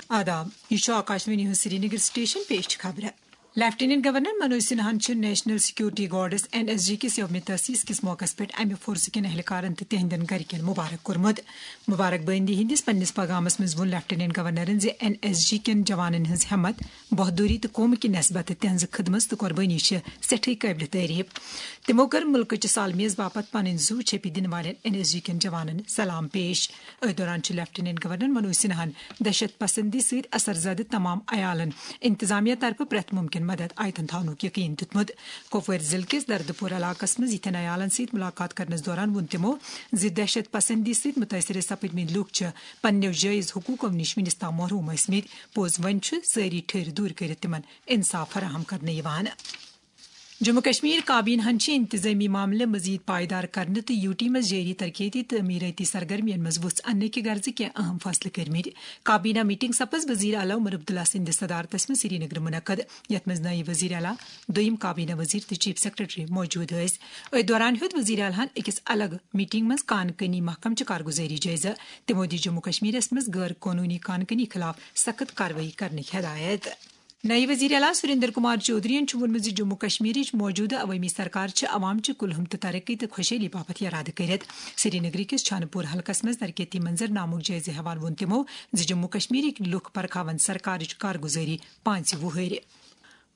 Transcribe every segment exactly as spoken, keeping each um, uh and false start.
آداب، یہ چھُ آکاشوانی ہُنٛد سرینگر سٹیشن۔ پیش چھِ خبرٕ۔ لیفٹیننٹ گورنر منوج سنہاہن چھِ national security guards, N S G, کِس یوم تاسیس کِس موقعس پٮ۪ٹھ امہِ فورسہٕ کٮ۪ن اہلکارن تہٕ تِہنٛدٮ۪ن گرِکٮ۪ن مبارک کوٚرمُت۔ مبارک بٲندی ہٕنٛدِس پننِس پیغامس منٛز ووٚن لیفٹیننٹ گورنرن زِ این ایس جی کٮ۪ن جوانن ہٕنٛز ہمت، بہادری تہٕ قومہٕ کہِ نسبتہٕ تِہنٛزٕ خدمژ تہٕ قربٲنی چھِ سٮ۪ٹھٕے قٲبلِ تعریف۔ تِمو کٔر مُلکٕچہِ سالمیز باپتھ پنٕنۍ زُو چھیٚپہِ دِنہٕ والٮ۪ن این ایس جی کٮ۪ن جوانن سلام پیش۔ أتھۍ دوران چھُ لیفٹیننٹ گورنر منوج سنہاہن دہشت پسندی سۭتۍ اثر زدٕ تمام عیالن انتظامیہ طرفہٕ پرٛٮ۪تھ مُمکِن مدد آیتن تھاونُک یقین دیُتمُت۔ کۄپوٲرۍ ضلعہٕ کِس دردپور علاقس منٛز یِتھٮ۪ن عیالن سۭتۍ مُلاقات کرنس دوران ووٚن تِمو زِ دہشت پسندی سۭتۍ مُتٲثر سپٕدمٕتۍ لُکھ چھِ پننٮ۪و جٲیز حقوٗقو نِش وُنِس تام محروم ٲسمٕتۍ۔ پوٚز، وۄنۍ چھُ سٲری ٹھٔہرۍ دوٗرۍ کٔرِتھ تِمن انصاف فراہم کرنہٕ یِوان۔ جموں کشمیر کابینہ ہن چھِ انتظامی معاملہٕ مزید پائیدار کرنہٕ تہٕ یوٗ ٹی منٛز جٲری ترقیتی تہٕ تعمیٖرٲتی سرگرمین منٛز وُژھ اننہٕ کہِ غرضہٕ کینٛہہ اہم فٲصلہٕ کٔرمٕتۍ۔ کابینہ میٹنگ سپٕز وزیر اعلیٰ عمر عبداللہ سٕنٛدِ صدارتس منٛز سرینگرٕ منعقد، یتھ منٛز نٲیِب وزیر اعلیٰ، دوٚیِم کابینہ وزیر تہٕ چیف سیکرٹری موجود ٲسۍ۔ أتھۍ دوران ہیوٚت وزیر اعلیٰ ہن أکِس الگ میٹنگ منٛز کان کٲنی محکمہٕ چہِ کارگزٲری جٲیزٕ۔ تِمو دِژ جموں کشمیرس منٛز غٲر قونوٗنی کان کٲنی خلاف سخت کاروٲیی کرنٕچ ہدایت۔ نایب وزیر اعلیٰ سریندر کمار چودھرین چھُ ووٚنمُت زِ جموں کشمیرٕچ موجودٕ عوٲمی سرکار چھِ عوام چہِ کُلہُم تہٕ ترقی تہٕ خۄشحٲلی باپتھ یرادٕ کٔرِتھ۔ سرینگرٕ کِس چھانہٕ پوٗر حلقس منٛز ترقیتی منظر نامُک جٲیزٕ ہٮ۪وان ووٚن تِمو زِ جموں کشمیرٕکۍ لُکھ پرکھاون سرکارٕچ کارگُزٲری پانٛژِ وُہٕرۍ۔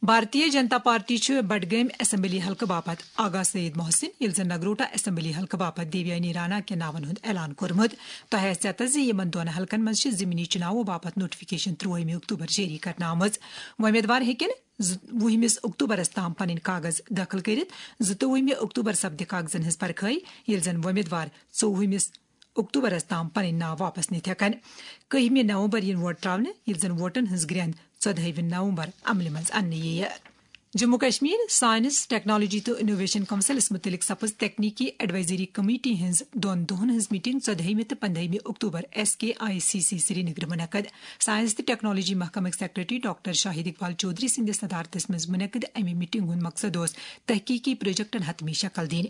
بھارتیہ جنتا پارٹی چھُ بڈگٲمۍ اسمبلی حلقہٕ باپتھ آغا سعید محسن، ییٚلہِ زن نگروٹا اسمبلی حلقہٕ باپتھ دیویانی رانا کٮ۪ن ناون ہُنٛد اعلان کوٚرمُت۔ تۄہہِ آسہِ یَتَس زِ یِمَن دۄن حلقن منٛز چھِ ضمنی چُناوو باپتھ نوٹیفکیشن ترٛوہمہِ اکتوبر جٲری کرنہٕ آمٕژ۔ وۄمیدوار ہیٚکن زٕ-، وُہمِس اکتوبرس تام پنٕنۍ کاغذ دٲخل کٔرِتھ۔ زٕتووُہمہِ اکتوبر سپدِ کاغذن ہٕنٛز پرکھٲے، ییٚلہِ زن وۄمیدوار ژوٚوُہمِس اکتوبرس تام پنٕنۍ ناو واپس نِتھ ہٮ۪کن۔ کٔہمہِ نومبر یِن ووٹ تراونہٕ، ییٚلہِ زن ووٹن ہٕنٛز گرٛٮ۪نٛد ژۄدہٲیمہِ نومبر عملہِ منٛز اننہٕ یِیہِ۔ جموں کشمیر سائنس، ٹیکنالوجی تہٕ انوویشن کونسلس مُتعلق سپٕز تکنیکی ایڈوائزری کمیٹی ہٕنٛز دۄن دۄہن ہٕنٛز میٹنگ ژۄدہٲیمہِ تہٕ پندہٲیمہِ October S K I C C سرینگرٕ منعقد۔ سائنس تہٕ ٹیکنالوجی محکمٕکۍ سیکرٹری ڈاکٹر شاہد اقبال چودھری سٕنٛدِس صدارتس منٛز منعقد امہِ میٹنگ ہُنٛد مقصد اوس تحقیقی پروجیکٹن حتمی شکل دِنۍ۔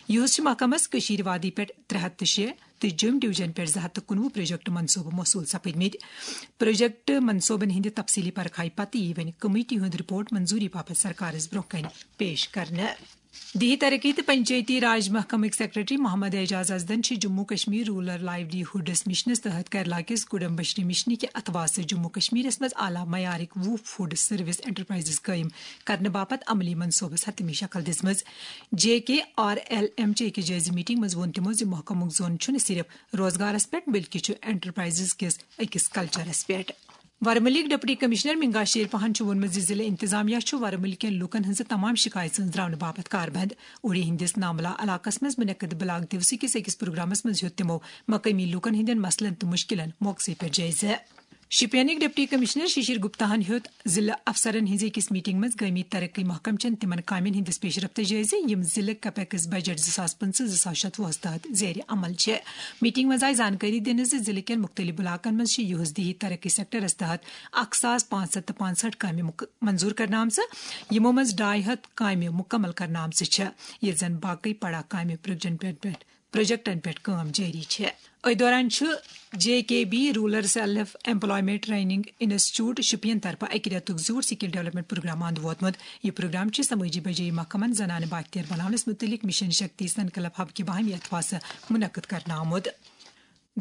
یِہُس چھُ محکمس کٔشیٖر وادی پٮ۪ٹھ ترٛےٚ ہتھ تہٕ شےٚ تہٕ جوٚم ڈویژن پٮ۪ٹھ زٕ ہتھ تہٕ کُنوُہ پروجیکٹ منصوبہٕ موصوٗل سپٕدمٕتۍ۔ پروجیکٹ منصوبن ہٕنٛدِ تفصیلی پرکھایہِ پتہٕ یی وۄنۍ کمیٹی ہُنٛد رپورٹ منظوٗری باپتھ سرکارس برونٛہہ کنہِ پیش کرنہٕ۔ دیہی ترقی تہٕ پنچایتی راج محکمٕکۍ سیکرٹری محمد اعجاز ازدن چھِ جموں کشمیر رورل لائیولی ہُڈس مشنس تحت کیرلا کِس کڈم بشری مشنہِ کہِ اتھواسہٕ جموں کشمیرس منٛز اعلیٰ معیارٕکۍ وُہ فوڈ سروس انٹرپرائزز قٲیِم کرنہٕ باپتھ عملی منصوبس حتمی شکل دِژمٕژ۔ جے کے آر ایل ایم چے کہِ جٲیزٕ میٹنگ منٛز ووٚن تِمو زِ محکمُک زون چھُنہٕ صرف روزگارس پٮ۪ٹھ، بلکہِ چھُ انٹرپرائزز کِس أکِس کلچرس پٮ۪ٹھ۔ ورمُلٕکۍ ڈپٹی کمشنر منگا شیر پہن چھُ ووٚنمُت زِ ضلع انتظامیہ چھُ ورمُلہٕ کٮ۪ن لوٗکن ہٕنٛزٕ تمام شِکایژٕ أنٛزراونہٕ باپتھ کاربند۔ اوڑی ہٕنٛدِس ناملا علاقس منٛز منعقد بلاک دیوسہٕ کِس أکِس پروگرامس منٛز ہیوٚت تِمو مقٲمی لوٗکن ہٕنٛدٮ۪ن مسلن تہٕ مُشکِلن موقعسٕے پٮ۪ٹھ جٲیزٕ۔ شوپینٕکۍ ڈپٹی کمشنر ششیر گپتاہن ہیوٚت ضلع افسرن ہٕنٛزِ أکِس میٹنگ منٛز گٲمی ترقی محکمہٕ چٮ۪ن تِمن کامٮ۪ن ہٕنٛدِس پیشرفتس جٲیزٕ، یِم ضلع کیپیکس بجٹ زٕ ساس پٕنٛژٕہ زٕ ساس شتوُہس تحت زیر عمل چھِ۔ میٹنگ منٛز آیہِ زانکٲری دِنہٕ زِ ضلعہٕ کٮ۪ن مُختٔلِف علاقن منٛز چھِ یِہُس دیہی ترقی سیکٹرس تحت اکھ ساس پانٛژھ ہتھ تہٕ پانٛژھ ہٲٹھ کامہِ مُک-، منظوٗر کرنہٕ آمژٕ، یِمو منٛز ڈاے ہتھ کامہِ مُکمل کرنہٕ آمژٕ چھِ، ییٚلہِ زن باقٕے پڑا کامہِ پروجیکٹن پٮ۪ٹھ، پروجیکٹن پٮ۪ٹھ کٲم جٲری چھِ۔ أتھۍ دوران چھُ J K B rural self employment training institute Shopian طرفہٕ اَکہِ رٮ۪تُک زیوٗٹھ سکل ڈیولپمنٹ پروگرام اند ووتمُت۔ یہِ پروگرام چھُ سمٲجی بجٲیی محکمن زنانہٕ بااختیار بناونس مُتعلق مشن شکتی سنکلپ ہب کہِ باہمی اتھواسہٕ منعقد کرنہٕ آمُت۔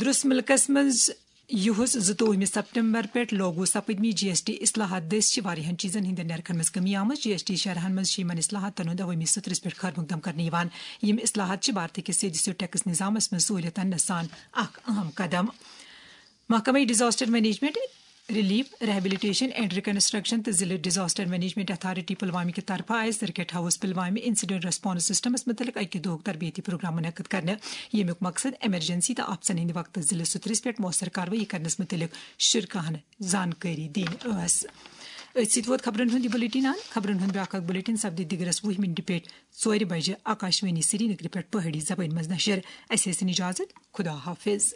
درست مُلکَس منٛز یُہُس زٕتووُہمہِ سپٹمبر پٮ۪ٹھ لاگو سپٕدمٕتۍ جی ایس ٹی اصلاحات دٔسۍ چھِ واریاہَن چیٖزَن ہٕنٛدٮ۪ن نرخَن منٛز کمی آمٕژ۔ جی ایس ٹی شرحَن منٛز چھِ یِمَن اصلاحاتَن ہُنٛد عوٲمی سطرَس پٮ۪ٹھ خٲر مقدم کرنہٕ یِوان۔ یِم اصلاحات چھِ بھارتہٕ کِس سیوٚدِ سیوٚد ٹیکس نظامَس منٛز سہوٗلیتَن نَسان اکھ اہم قدم۔ محکمہ disaster management, relief, rehabilitation and reconstruction تہٕ ضلع ڈیزاسٹر مینجمنٹ اتھارٹی پلوامہ کہِ طرفہٕ آیہِ circuit house Pulwama incident response systems متعلق اکہِ دۄہُک تربیتی پروگرام منعقد کرنہٕ، ییٚمیُک مقصد ایمرجنسی تہٕ آپژن ہٕنٛدِ وقتہٕ ضلع سطرس پٮ۪ٹھ مؤثر کاروٲیی کرنس متعلق شرکاہن زانکٲری دِنۍ ٲس۔ أتھۍ سۭتۍ ووت خبرن ہُنٛد یہِ بلیٹن اند۔ خبرن ہُنٛد بیٛاکھ اکھ بلیٹن سپدِ دِگرس وُہہِ منٹہِ پٮ۪ٹھ ژورِ بجہِ آکاشوانی سرینگرٕ پٮ۪ٹھ پہٲڑی زبٲنۍ منٛز نشر۔ اسہِ ٲسِن اجازت۔ خدا حافظ۔